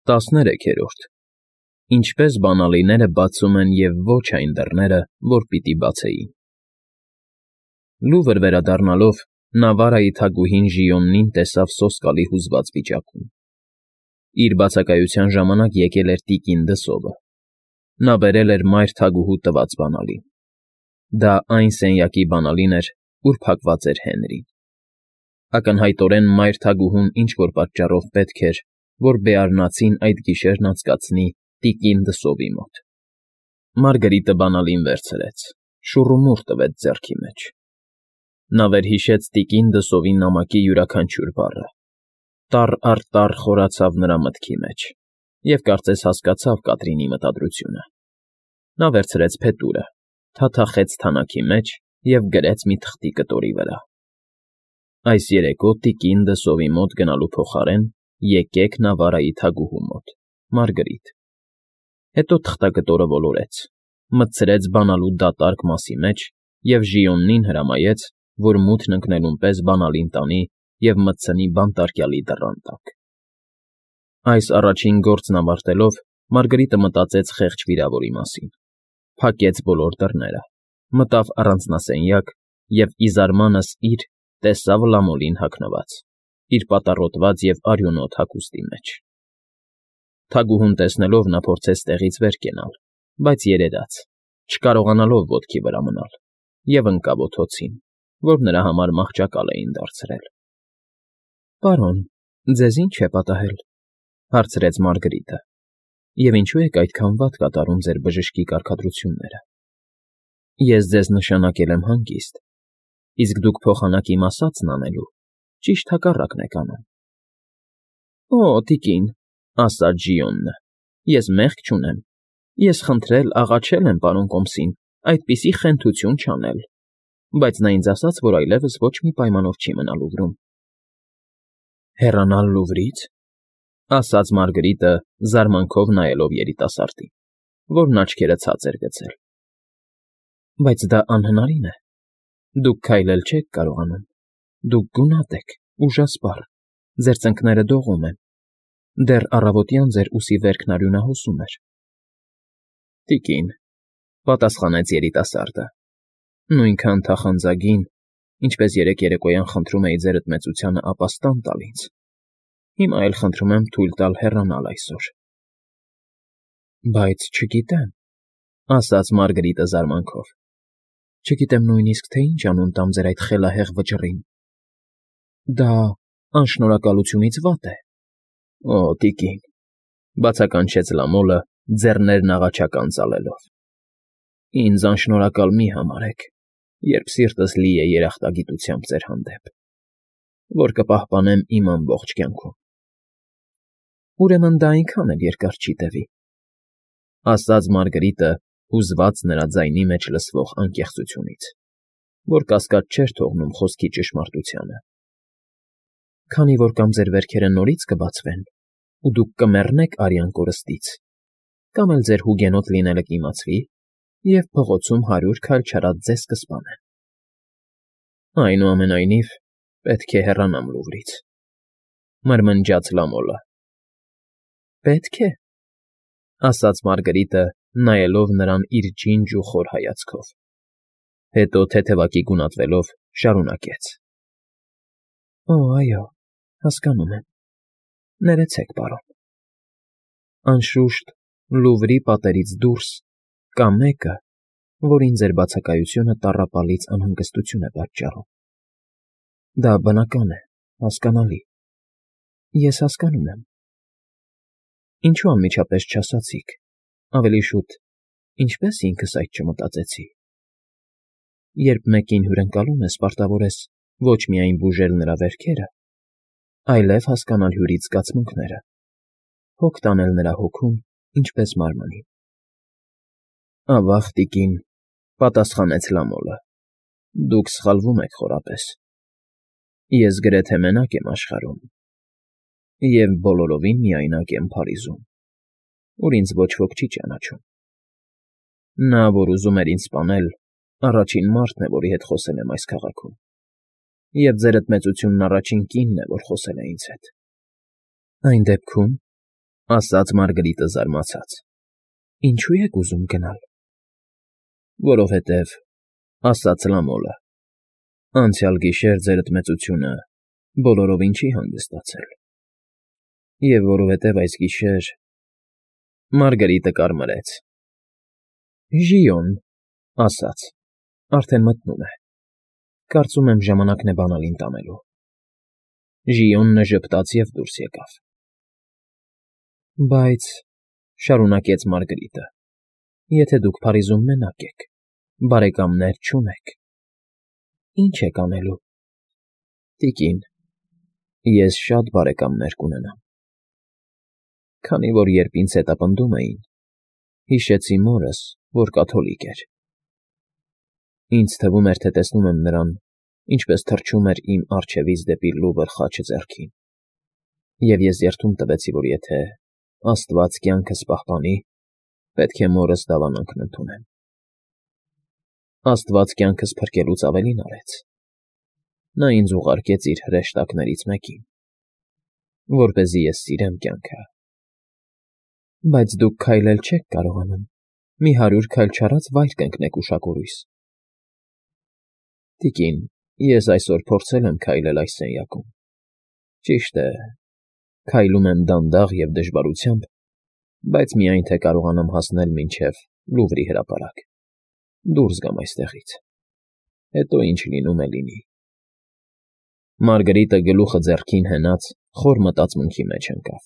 13-րդ Ինչպես բանալիները բացում են և ոչ այն դռները, որ պիտի բացեին։ Լուվր վերադառնալով, նա Վարայի թագուհին Ժիոննին տեսավ սոսկալի հուզված վիճակում։ Իր բացակայության ժամանակ եկել էր տիկին Դսովը։ Նա բերել էր մայր թագուհու տված բանալին։ Դա այն սենյակի բանալին էր, ուր փակված էր Հենրին։ Ակնհայտորեն մայր թագուհուն ինչ֊որ պատճառով պետք էր, որ Բեարնացին այդ գիշերն անցկացնի տիկին Դսովի մոտ։ Մարգրիտը բանալին վերցրեց, շուռումուռ տվեց ձեռքի մեջ։ Նա վերհիշեց տիկին Դսովի նամակի յուրաքանչյուր բառը։ Տառ առ տառ խորացավ նրա մտքի մեջ, և կարծես հասկացավ Կատրինի մտադրությունը։ Նա վերցրեց փետուրը, թաթախեց թանաքի մեջ և գրեց մի թղթի կտորի վրա. Այս երեկո տիկին Դսովի մոտ գնալու փոխարեն եկեք Նավարայի թագուհու մոտ, Մարգրիտ։ Հետո թղթակտորը ոլորեց, մտցրեց բանալու դատարկ մասի մեջ և Ժիոննին հրամայեց, որ մութն ընկնելուն պես բանալին տանի և մտցնի բանտարկյալի դռան տակ։ Այս առաջին գործն ավարտելով, Մարգրիտը մտածեց խեղճ վիրավորի մասին, փակեց բոլոր դռները, մտավ առանձնասենյակ և ի զարմանս իր տեսավ Լամոլին հագնված, իր պատառոտված և արյունոտ հագուստի մեջ։ Թագուհուն տեսնելով նա փորձեց տեղից վեր կենալ, բայց երերաց, չկարողանալով ոտքի վրա մնալ, և ընկավ օդոցին, որ նրա համար մահճակալ էին դարձրել։ ֊ Պարոն, ձեզ ի՞նչ է պատահել,֊ հարցրեց Մարգրիտը,֊ և ինչու եք այդքան վատ կատարում ձեր բժշկի կարգադրությունները։ Ես ձեզ նշանակել եմ հանգիստ, իսկ դուք փոխանակ իմ ասածն անելու ճիշտ հակառակն եք անում։ ֊ Օ, տիկին,֊ ասաց Ժիոնը,֊ ես մեղք չունեմ, ես խնդրել֊աղաչել եմ պարոն Կոմսին այդպիսի խենթություն չանել, բայց նա ինձ ասաց, որ այլևս ոչ մի պայմանով չի մնա Լուվրում։ ֊ Հեռանալ Լուվրից,֊ ասաց Մարգրիտը, զարմանքով նայելով երիտասարդին, որն աչքերը ցած էր գցել։ ֊ Բայց դա անհնարին է։ Դուք քայլել չեք կարողանում, դուք գունատ եք, ուժասպառ, ձեր ծնկները դողում են, դեռ առավոտյան ձեր ուսի վերքն արյունահոսում էր։ ֊ Տիկին,֊ պատասխանեց երիտասարդը,֊ նույնքան թախանձագին, ինչպես երեկ երեկոյան խնդրում էի ձերդ մեծությանը ապաստան տալ ինձ, հիմա էլ խնդրում եմ թույլ տալ հեռանալ այսօր։ ֊ Բայց չգիտեմ,֊ ասաց Մարգրիտը զարմանքով, չգիտեմ նույնիսկ, թե ինչ անուն տամ ձեր այդ խելահեղ վճռին։ Դա անշնորհակալությունից վատ է։ ֊ Օ, տիկին,֊ բացականչեց Լամոլը, ձեռներն աղաչական ծալելով,֊ ինձ անշնորհակալ մի համարեք, երբ սիրտս լի է երախտագիտությամբ ձեր հանդեպ, որ կպահպանեմ իմ ամբողջ կյանքում։ ֊ Ուրեմն դա այնքան էլ երկար չի տևի,֊ ասաց Մարգրիտը, հուզված նրա ձայնի մեջ լսվող անկեղծությունից, որ կասկած չէր թողնում խոսքի ճշմարտությանը։ ֊ Քանի որ կամ ձեր վերքերը նորից կբացվեն, ու դուք կմեռնեք արյան կորստից, կամ էլ ձեր հուգենոտ լինելը կիմացվի, և փողոցում 100 քայլ չարած ձեզ կսպանեն։ ֊ Այնուամենայնիվ, պետք է հեռանամ Լուվրից,֊ մրմնջաց Լամոլը։ ֊ Պետք է,֊ ասաց Մարգրիտը, նայելով նրան իր ջինջ ու խոր հայացքով։ Հետո թեթևակի գունատվելով շարունակեց. ֊ Օ, այո, հասկանում եմ, ներեցեք, պարոն։ Անշուշտ, Լուվրի պատերից դուրս կա մեկը, որին ձեր բացակայությունը տառապալից անհանգստություն է պատճառում։ Դա բնական է, հասկանալի։ Ես հասկանում եմ։ Ինչու անմիջապես չասացիք, ավելի շուտ, ինչպես ինքս այդ չմտածեցի։ Երբ մեկին հյուրընկալում ես, պարտավոր ես ոչ միայն բուժել նրա վերքերը, այլև հասկանալ հյուրից զգացմունքները, հոգ տանել նրա հոգուն, ինչպես մարմնին։ ֊ Ավա՜ղ, տիկին,֊ պատասխանեց Լամոլը,֊ դուք սխալվում եք խորապես։ Ես գրեթե մենակ եմ աշխարհում և բոլորովին միայնակ եմ Փարիզում, ուր ինձ ոչ ոք չի ճանաչում։ Նա, որ ուզում էր ինձ սպանել, առաջին մարդն է, որի հետ խոսել եմ այս քաղաքում, և ձերդ մեծությունն առաջին կինն է, որ խոսել է ինձ հետ։ ֊ Այն դեպքում, ասաց Մարգարիտը զարմացած։ Ինչու եք ուզում գնալ։ Որովհետև, ասաց Լամոլը, անցյալ գիշեր ձերդ մեծությունը բոլորովին չի հանգստացել։ Եվ որովհետև այս գիշեր… Մարգարիտը կարմրեց։ Ժիոն, ասաց, արդեն մտնում է։ Կարծում եմ ժամանակն է բանալին տանելու։ Ժիոնը ժպտաց և դուրս եկավ։ Բայց, շարունակեց Մարգարիտը, եթե դուք Փարիզում մենակ եք, բարեկամներ չունեք, ի՞նչ եք անելու։ Տիկին, ես շատ բարեկամներ կունենամ։ Քանի որ երբ ինձ հետապնդում էին, հիշեցի մորս, որ կաթոլիկ էր։ Ինձ թվում էր, թե տեսնում եմ նրան, ինչպես թռչում էր իմ առջևից դեպի Լուվր խաչը ձեռքին, և ես երդում տվեցի, որ եթե Աստված կյանքս պահպանի, պետք է մորս դավանանքն ընդունեմ։ Աստված կյանքս փրկելուց ավելին արեց։ Նա ինձ ուղարկեց իր հրեշտակներից մեկին, որպեսզի ես սիրեմ կյանքը։ Բայց դուք քայլել չեք կարողանում, մի 100 քայլ չարած վայր կընկնեք ուշագույրույս։ Տիկին, ես այսօր փորձել եմ քայլել այս սենյակում։ Ճիշտ է, քայլում եմ դանդաղ և դժվարությամբ, բայց միայն թե կարողանամ հասնել մինչև Լուվրի հրապարակ, դուրս գամ այստեղից։ Հետո ինչ լինում է լինի։ Մարգարիտը գլուխը ձեռքին հենած խոր մտածմունքի մեջ ընկավ։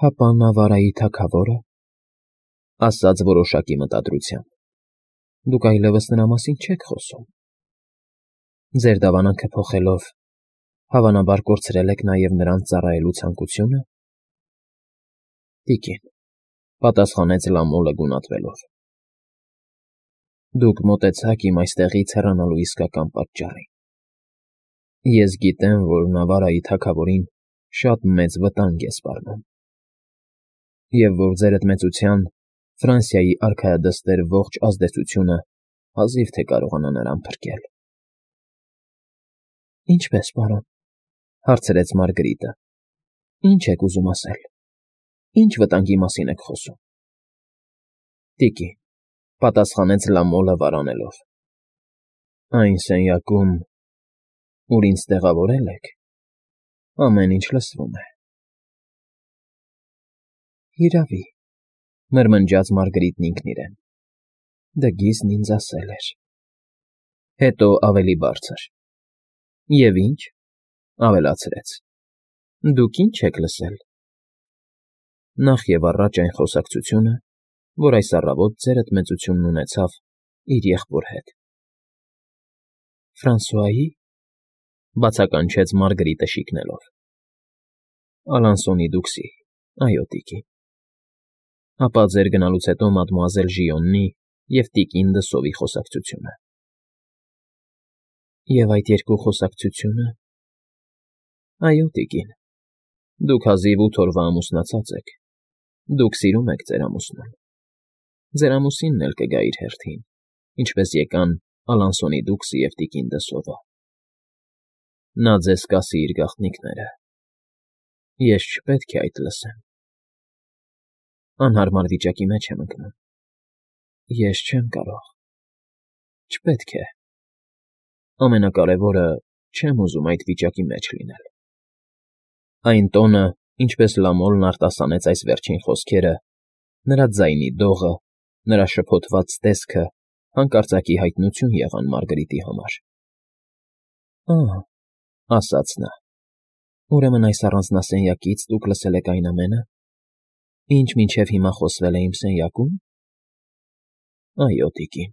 Հապա Նավարայի թագավորը, ասաց որոշակի մտադրությամբ, դուք այլևս նրա մասին չեք խոսում։ Ձեր դավանանքը փոխելով, հավանաբար կորցրել եք նաև նրանց ծառայելու ցանկությունը։ Տիկին, պատասխանեց Լամոլը գունատվելով։ Դուք մոտեցաք իմ այստեղից հեռանալու իսկական պատճառին։ Ես գիտեմ, որ Նավարայի թագավորին շատ մեծ վտանգ է սպառնում, և որ ձերդ մեծության Ֆրանսիայի արքայադստեր ողջ ազդեցությունը հազիվ թե կարողանա նրան փրկել։ Ինչպե՞ս, պարոն, հարցրեց Մարգարիտը։ Ինչ եք ուզում ասել։ Ինչ վտանգի մասին եք խոսում։ Տիկին, պատասխանեց Լամոլը վարանելով։ Այն սենյակում, ուր ինձ տեղավորել եք, ամեն ինչ լսվում է։ Հիրավի, մրմնջաց Մարգարիտն ինքն իրեն։ Դգիզն ինձ ասել էր։ Հետո ավելի բարձր. Եվ ինչ, ավելացրեց. Դուք ինչ եք լսել։ Նախ և առաջ այն խոսակցությունը, որ այս առավոտ ձերդ մեծությունն ունեցավ իր եղբոր հետ։ Ֆրանսուայի, բացականչեց Մարգարիտը շիկնելով։ Ալանսոնի դուքսի, այո, տիկին։ Ապա ձեր գնալուց հետո մադմուազել Ժիոննի և տիկին Դսովի խոսակցությունը։ Եվ այդ երկու խոսակցությունը… Այո, տիկին, դուք հազիվ 8 օրվա ամուսնացած եք, դուք սիրում եք ձեր ամուսնուն, ձեր ամուսինն էլ կգա իր հերթին, ինչպես եկան Ալանսոնի դուքսը և տիկին Դսովը։ Նա ձեզ կասի իր գաղտնիքները։ Ես չպետք է այդ լսեմ։ Անհարմար վիճակի մեջ եմ ընկնում։ Ես չեմ կարող։ Չպետք է։ Ամենակարևորը, չեմ ուզում այդ վիճակի մեջ լինել։ Այն տոնը, ինչպես Լամոլն արտասանեց այս վերջին խոսքերը, նրա ձայնի դողը, նրա շփոթված տեսքը հանկարծակի հայտնություն եղան Մարգարիտի համար։ Ահ, ասաց նա, ուրեմն այս առանձնասենյակից դուք լսել եք այն ամենը, ինչ մինչև հիմա խոսվել է իմ սենյակում։ Այո, տիկին։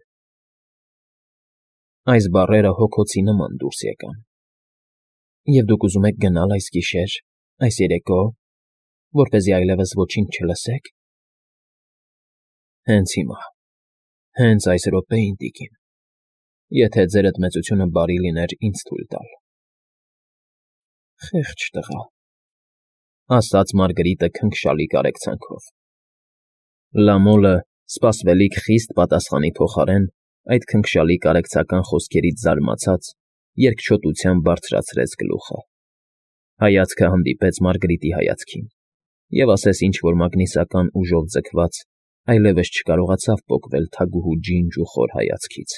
Այս բառերը հոգոցի նման դուրս եկան։ Եվ դուք ուզում եք գնալ այս գիշեր, այս երեկո, որպեսզի այլևս ոչինչ չլսեք։ Հենց հիմա, հենց այս րոպեին, տիկին, եթե ձերդ մեծությունը բարի լիներ ինձ թույլ տալ։ Խեղճ տղա, ասաց Մարգարիտը քնքշալի կարեկցանքով։ Լամոլը, սպասվելիք խիստ պատասխանի փոխարեն, այդ քնքշալի կարեկցական խոսքերից զարմացած, երկչոտությամբ բարձրացրեց գլուխը։ Հայացքը հանդիպեց Մարգարիտի հայացքին, Եվ ասես ինչ-որ մագնիսական ուժով ձգված, այլևս չկարողացավ պոկվել թագուհու ջինջ ու խոր հայացքից։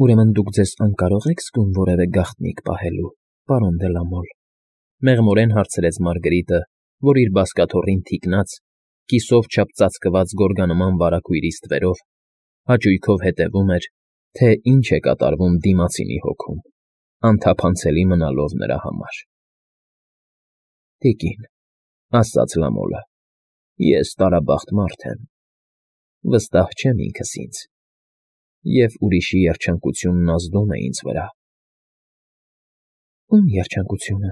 Ուրեմն դուք ձեզ անկարող եք զգում որևէ գաղտնիք պահելու, պարոն դե լա Մոլ, մեղմորեն հարցրեց Մարգրիտը, որ իր բազկաթոռին թիկնած, կիսով չափ ծածկված գորգանման վարագույրի ստվերով, հաճույքով հետևում էր, թե ինչ է կատարվում դիմացինի հոգում, անթափանցելի մնալով նրա համար։ Տիկին, ասաց Լամոլը, ես տարաբախտ մարդ եմ, վստահ չեմ ինքս ինձ, և ուրիշի երջանկությունն ազդում է ինձ վրա։ Ում երջանկությունը,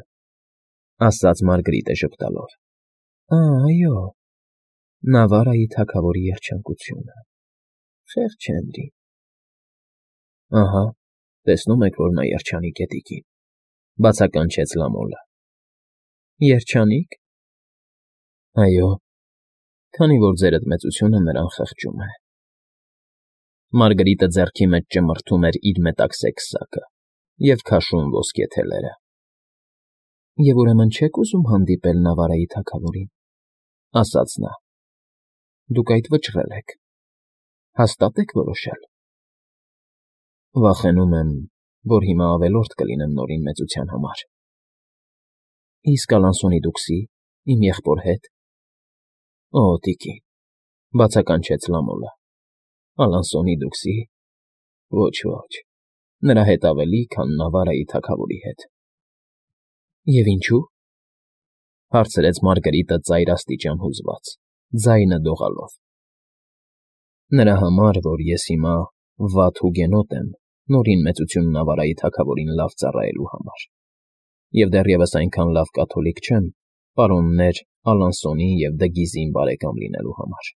ասաց Մարգրիտը ժպտալով, այո, Նավարայի թագավորի երջանկությունը, խեղճ Հենրի։ Ահա, տեսնում եք, որ նա երջանիկ է, տիկին, բացականչեց Լամոլը։ Երջանիկ։ Այո, քանի որ ձերդ մեծությունը նրան խղճում է։ Մարգրիտը ձեռքի մեջ ճմրթում էր իր մետաքսե քսակը և քաշում ոսկե թելերը։ Եվ ուրեմն չեք ուզում հանդիպել Նավարայի թագավորին, ասաց նա։ Դուք այդ վճռել եք, հաստատ եք որոշել։ Վախենում եմ, որ հիմա ավելորդ կլինեմ նորին մեծության համար։ Իսկ Ալանսոնի դուքսի, իմ եղբոր հետ։ Օ, տիկին, բացականչեց Լամոլը, Ալանսոնի դուքսի։ Ոչ, նրա հետ ավելի, քան Նավարայի թագավորի հետ։ Եվ ինչու՞։ Հարցրեց Մարգրիտը ծայրաստիճան հուզված, ձայնը դողալով։ Նրա համար, որ ես հիմա վատ հուգենոտ եմ նորին մեծություն Նավարայի թագավորին լավ ծառայելու համար, և դեռևս այնքան լավ կաթոլիկ չեմ պարոններ Ալանսոնի և Դգիզին բարեկամ լինելու համար։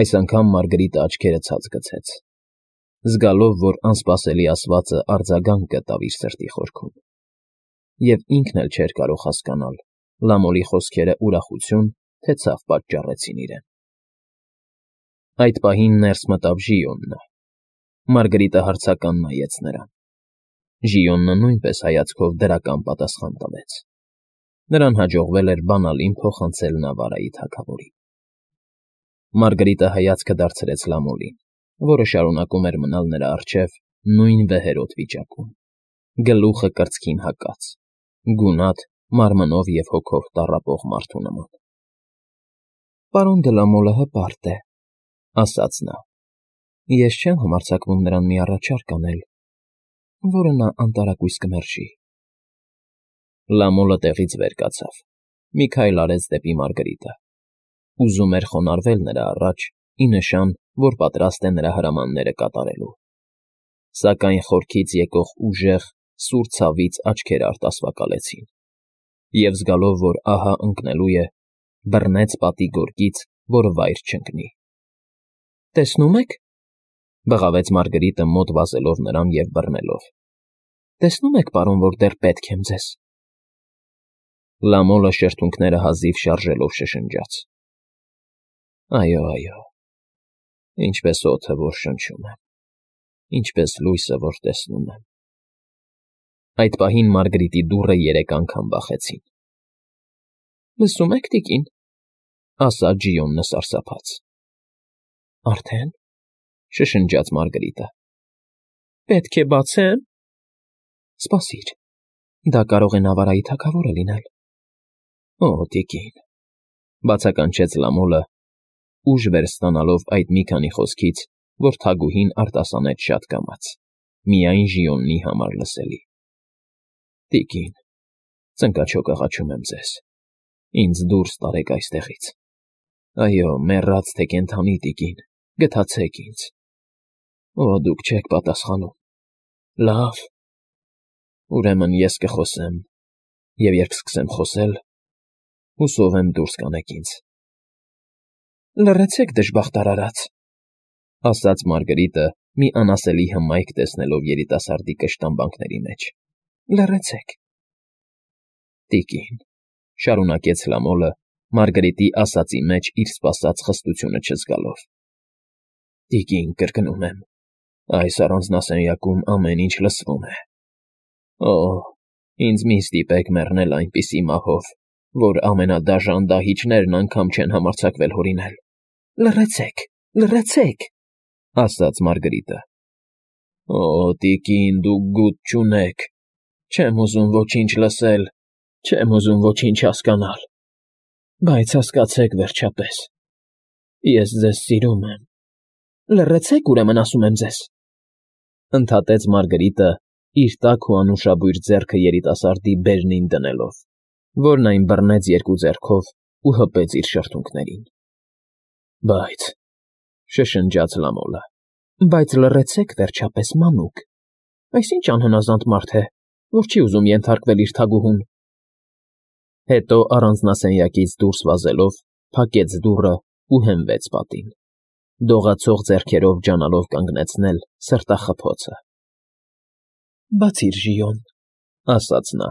Այս անգամ Մարգրիտը աչքերը ցած գցեց, զգալով, որ անսպասելի ասվածը արձագանք գտավ իր սրտի խորքում, և ինքն էլ չէր կարող հասկանալ Լամոլի խոսքերը ուրախություն, թե ցավ պատճառեցին իրեն։ Այդ պահին ներս մտավ Ժիոնը։ Մարգրիտը հարցական նայեց նրան։ Ժիոնը նույնպես հայացքով դրական պատասխան տվեց։ Նրան հաջողվել էր բանալին փոխանցել Նավարայի թագավորին։ Մարգրիտը հայացքը դարձրեց Լամոլին, որը շարունակում էր մնալ նրա առջև նույն վեհերոտ վիճակում, գլուխը կրծքին հակած, գունատ, մարմնով և հոգով տառապող մարդու նման։ Պարոն դե լա Մոլը հպարտ է, ասաց նա։ Ես չեմ համարձակվում նրան մի առաջարկ անել, որը նա անտարակույս կմերժի։ Լամոլը տեղից վեր կացավ, մի քայլ արեց դեպի Մարգրիտը, ուզում էր խոնարհվել նրա առաջ, ի նշան, որ պատրաստ է նրա հրամանները կատարելու։ Սակայն խորքից եկող ուժեղ, սուր ցավից աչքերը արտասվակալեցին, և զգալով, որ ահա ընկնելու է, բռնեց պատի գորգից, որը վայր չընկնի։ Տեսնում եք, բղավեց Մարգրիտը մոտ վազելով նրան և բռնելով։ Տեսնում եք, պարոն, որ դեռ պետք եմ ձեզ։ Լամոլը շրթունքները հազիվ շարժելով շշնջաց. Այո, ինչպես օդը, որ շնչում եմ, ինչպես լույսը, որ տեսնում եմ։ Այդ պահին Մարգրիտի դուռը 3 անգամ բախեցին։ Լսում եք, տիկին, ասաց Ժիոնը սարսափած։ Արդեն, շշնջաց Մարգրիտը։ Պետք է բացեմ։ Սպասիր, դա կարող է Նավարայի թագավորը լինել։ Օ, տիկին, բացականչեց Լամոլը, ուժ վեր ստանալով այդ մի քանի խոսքից, որ թագուհին արտասանեց շատ կամաց, միայն Ժիոնի համար լսելի։ Տիկին, ծնկաչոք աղաչում եմ ձեզ, ինձ դուրս տարեք այստեղից։ Այո, մեռած թե կենդանի, տիկին, գթացեք ինձ։ Օ, դուք չեք պատասխանում։ Լավ, ուրեմն ես կխոսեմ, և երբ սկսեմ խոսել, հուսով եմ դուրս կանեք ինձ։ Լռեցեք, դժբախտ արարած, ասաց Մարգրիտը, մի անասելի հմայք տեսնելով երիտասարդի կշտամբանքների մեջ։ Լռեցեք։ Տիկին, շարունակեց Լամոլը, Մարգրիտի ասածի մեջ իր սպասած խստությունը չզգալով։ Տիկին, կրկնում եմ, այս առանձնասենյակում ամեն ինչ լսվում է։ Օ, ինձ մի ստիպեք մեռնել այնպիսի մահով, որ ամենադաժան դահիճներն անգամ չեն համարձակվել հորինել։ Լռեցեք, լռեցեք, ասաց Մարգարիտը։ Օ, տիկին, դուք գութ չունեք, չեմ ուզում ոչինչ լսել, չեմ ուզում ոչինչ հասկանալ, բայց հասկացեք վերջապես, ես ձեզ սիրում եմ։ Լռեցեք, ուրեմն ասում եմ ձեզ, ընդհատեց Մարգարիտը, իր տաք ու անուշաբույր ձեռքը երիտասարդի բերնին դնելով, որն այն բռնեց երկու ձեռքով ու հպեց իր շրթունքներին։ Բայց, շշնջաց Լամոլը, բայց լռեցեք վերջապես, մանուկ, այս ինչ անհնազանդ մարդ է, որ չի ուզում ենթարկվել իր թագուհուն։ Հետո առանձնասենյակից դուրս վազելով, փակեց դուռը ու հենվեց պատին, դողացող ձեռքերով ջանալով կանգնեցնել սրտախփոցը։ Բացիր, Ժիոն, ասաց նա։